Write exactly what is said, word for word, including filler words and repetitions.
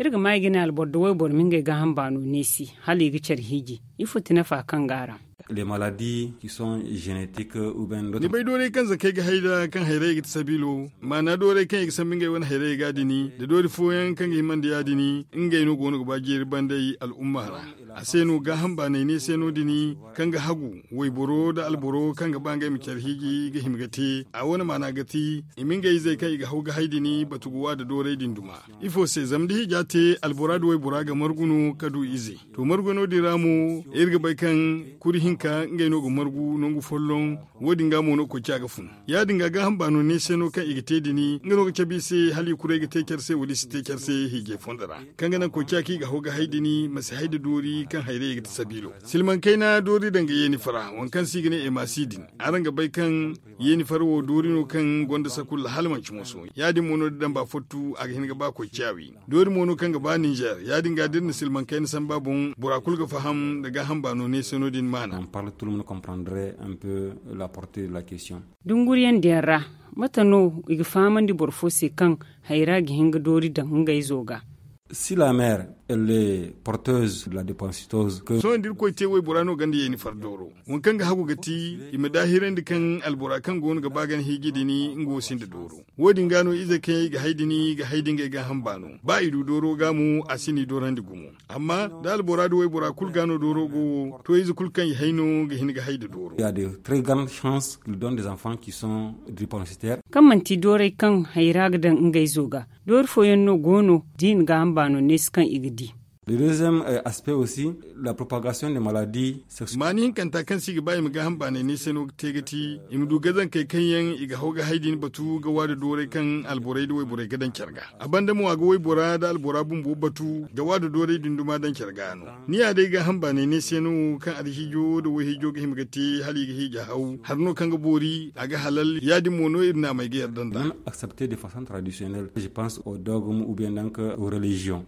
Iri ga ma i ga ne alboro da wayboro ma ngey gaaham baano neesi hala i ga care hiiji. Ifo ti nafa kaŋ go a ra? Ni bay dooray kaŋ zakey ga hay nd'a kaŋ hayrayey ga ti sabiilo, maana dooray kaŋ i ga sambu ngey wane hayrayey ga din, da doori fooyaŋ kaŋ ga hima nda ya-din, ngey no go no ga ba jeeri bandey al'umma ra. A se no gaaham baanay ne se no din, kaŋ ga hagu wayboro nda alboro kaŋ ga ba ngey ma care hiiji ga hima ga te. A wane maana ga ti i ma ngey izey kaŋ i ga haw ga hay din batu ga wa nda dooray din duma. Ifo se? Zama da hiija te, albora nda waybora ga margu no ka du ize. To, margu no din ra mo, iri ga bay kaŋ kuri hinka ngey no ga margu nangu folloŋ. Wo- din ga mo no koy ciya ga fun. Ya- din ga gaaham baano ne se no kaŋ i ga te din, nga no ga cabe i se hala i kuray ga te care se wala i si te care se hiijay fondo ra, kaŋ ga naŋ koy ciya kaŋ i ga haw ga hay din ma si hay nda doori kaŋ hayrayey ga ti sabiilo. Silmaŋ kayna doori daŋ ga yeeni fara waŋ kaŋ se i ga ne emasi din. Araŋ ga bay kaŋ yeeni fara wo doori no kaŋ gonda sakulla hala manci moso. Ya- din mo no da damba fottu a ga hin ga ba koy ciya wi. Doori mo no kaŋ ga ba ninzeer. Ya- din ga da iri na silmaŋ kayna samba boŋ bora kulu ga faham nda gaaham baano ne se no- din maana. Dunguriyaŋ din ra, mate no i ga fahamandi boro fo se kaŋ hayra ga hin ga doori daŋ ngey zo ga? Si la mer elle est porteuse de la dépensiteuse que sohõ da irkoy te waybora no ganda yeeni far dooro, waŋ kaŋ ga hagu ga ti i ma daahirandi kaŋ albora kaŋ go no ga ba gana hiiji din nga wo sinda dooro. Wo- din ga no izey kaŋ yaŋ i ga hay din i ga hay da ngey gaaham baano. Ba i du dooro ga mo a si ni doorandi gumo. Amma da albora da waybora kulu ga no dooro go wo, to ize kulu kaŋ i hay no ga hin ga hay nda dooro. Il y a de très grandes chances qu'il donne des enfants qui sont drépensitaires. Kaŋ manti dooray kaŋ hayra ga daŋ ngey zo ga, doori fooyaŋ no go no da i na gaaham baano neesi kaŋ i ga di. Le deuxième aspect aussi, la propagation des maladies sexuelles. Maani hinkanta kaŋ se i ga ba i ma gaaham baanay ne se no ga te ga ti i ma du gazankey kaŋ yaŋ i ga haw ga hay din batu ga wa nda dooray kaŋ alborey nda wayborey ga daŋ care ga. A banda mo a ga waybora nda albora bumbo batu ga wa nda dooray din duma daŋ care ga no. Ni ya day gaaham baanay ne se no kaŋ alhiijo nda wayhiijo ga hima ga te hala i ga hiija haw hari no kaŋ ga boori a ga halal ya- din mo no iri naamey ga yarda nd'a. Accepter de façon traditionnelle je pense au dogme ou bien donc aux religions.